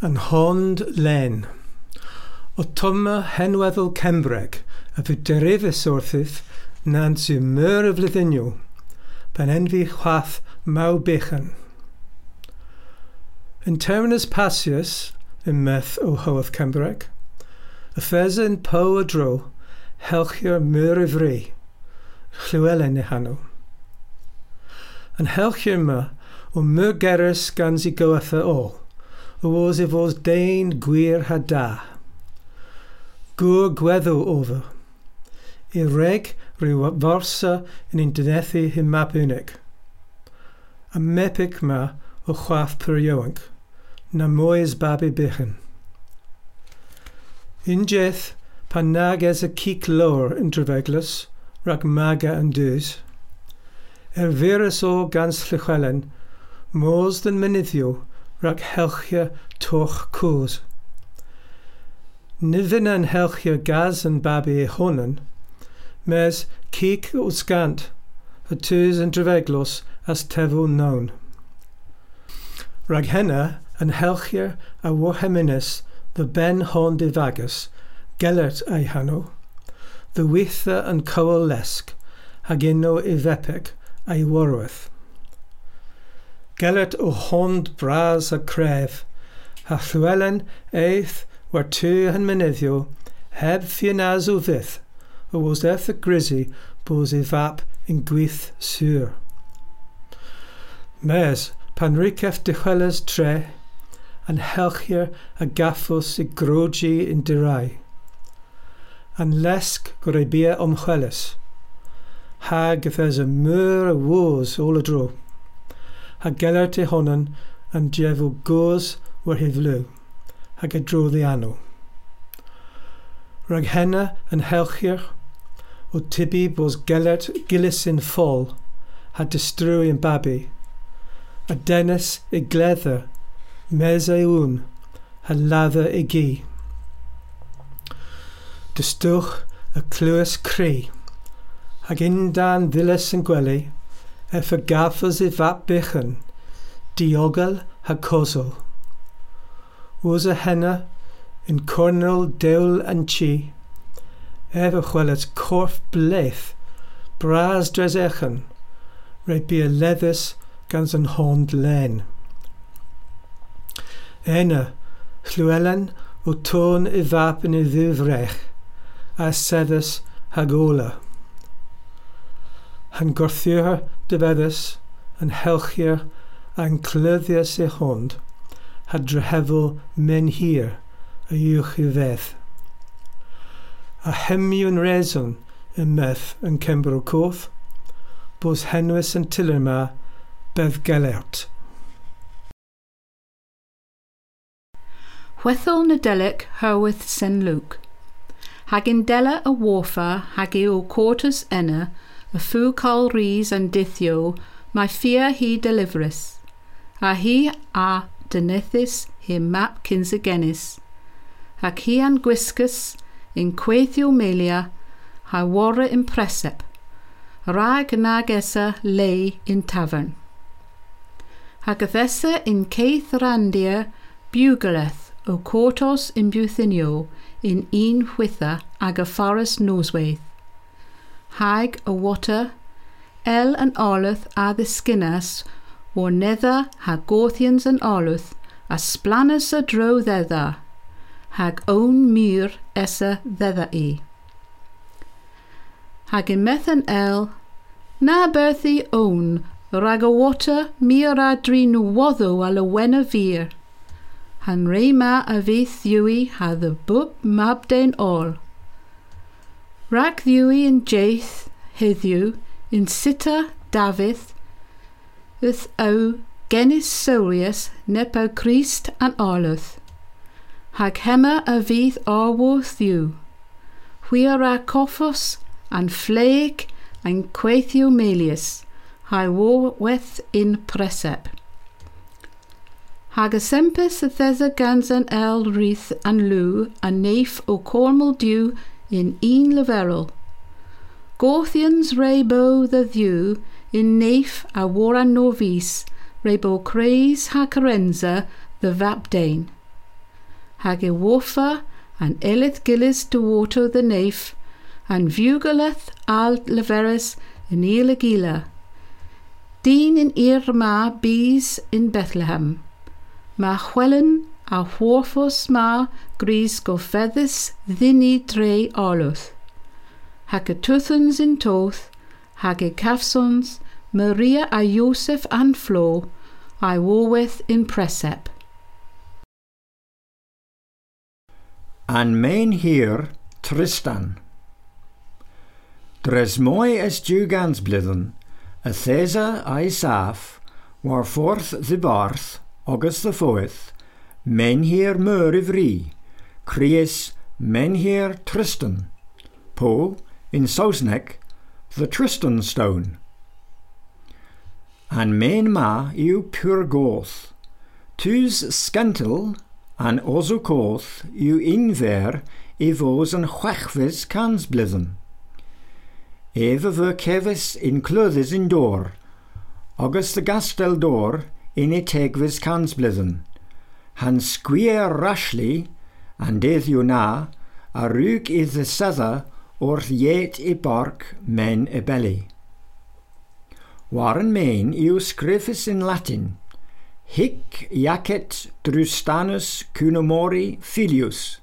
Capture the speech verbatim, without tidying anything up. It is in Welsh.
An hond len. O tomma henweddol Cembreg a fy derifus wrthyf na'n sy'n myr y flyddyniw, pan enfi chwath maw bechan. Yn terminus Pasius, yn meth o hoeth Cembreg, y ffesa yn po y dro, helchi'r myr y fri, Llywelyn e hanw. Yn helchi'r ma o myr gerys gan si goetha ôl, o os e fos dein gwir ha da. Gwr gweddw over. I reg rhyw forsa yn un dynethu hyn map unig. A mepic ma o chwath pur iowanc, na mwy babi bichan. Un jeth pan nag es y cic lawr yn drefeglus, rhag maga yn dwys. Er virus o gans Llywelyn, mos dyn mynyddio rhag helchia toch cwrs. Nifyn yn helchia gaz yn babi e honan, mes cic o sgant, y tŵs yn drefeglos as tefw known. Rhag henna yn helchia a warheminus the ben hon divagus, Gellert ei hanw, the witha yn cowel lesg, hag uno i fepig a'i warwyth. Gellert o hond bras a cref, ha Llywelyn eith war tu yn mynyddio, heb ffianaz o fyth, o was eth y grisi bos ei fap yn gwyth sur. Mes, pan ricef dychweles tre, an helchier a gaffos i grogi yn dirai. An lesg gwreibia omchweles, hag ythes y myr y wos ôl y dro, ha Gellert e honan an jefw gos war hi flw, hag y dro ddi anw. Rhag henna yn helchier, o tibi bos Gellert gilys yn ffol, ha distrwy yn babi, a dennis i gledder, mes ei wn, ha lather i gi. Dystwch y clywys cri, hag undan ddilys yn gwely, ef y gaffos i fap bychan, diogel ha cosol. Was y henna yn cornel dewl yn chi, ef y chwelet corff bleth, bras dres echan, rei bu y leddus gans yn hond len. Ena, Llywelyn o tôn i fap yn ei ddiwrech, a seddus hag ola. Han gorthiwr dyfeddus, yn helchier a'n clyddius ei hond, ha drehefol men hir a uwch i fedd. A hemiwn reson yn meth yn Cembro Coth, bos henwys yn tiler ma bedd Gellert. Hwethol Nadelik herwyth Sen Luke. Hag indella a warfa hag i o quarters enna, a fw col rhys and dithio, mae fear he deliverus. A he a dynethus him map kinsegenis. Ac hi an gwisgus in quethio melia, ha warra in presep. Rag nag essa lay in tavern. Hag athessa in Keith Randia bugeleth o quartos in Buthinio in un whitha ag a forest noswaith. Hag a water, el an oleth a the skinnas, war nether ha Gorthians an oleth, a splanus a dro thether, hag own mur essa thether e. Hag in methan el, na berthi own, rag a water mir a drin wotho a lawena vir. Han re ma a vith yui ha the bub mabden all. Rag ddiwy yn jaith heddiw in sita Davith yth o genis solius nep o Christ an arluth. Hag hemma a fydd arworth yw. Hwyr a coffos an flaig an quaethio melius, hai warweth in presep. Hag a sempus a thesa gans an el wreath an lw a neif o cormel dew in un leverel. Gorthians re bo the ddew in neif a waran norvis re bo craes ha carenza the vapdane. hag e worfa an elith gillis duoto the naif, an vugeleth al leveris in eel gila. Dyn in ir ma bees in Bethlehem. Ma chwelen a whorfos ma gris gofeddus ddini dre arluth. Hag y tuthans in toth, hag y cafsons, Maria a Joseph an Flo, I warwith in presep. An main hir Tristan. Dres moi es dugans blithen, a thesa a'i saff, war forth the barth, August the fourth, menhir meur ivri, Cries menhir Tristan, po, in Sausnek, the Tristan stone. An main ma yw pur goth, tus scantil an ozo koth yw inver i vos an chwechfis cans blithen. Eve ver kevis in clothes in door, August the gastel door in e tegvis cans blithen. Han squeer rashly, and dedd yw na, a rug i the sether orth yet i bark men e belly. Waren main yw scrifus in Latin, hic jacet Drustanus cunomori filius,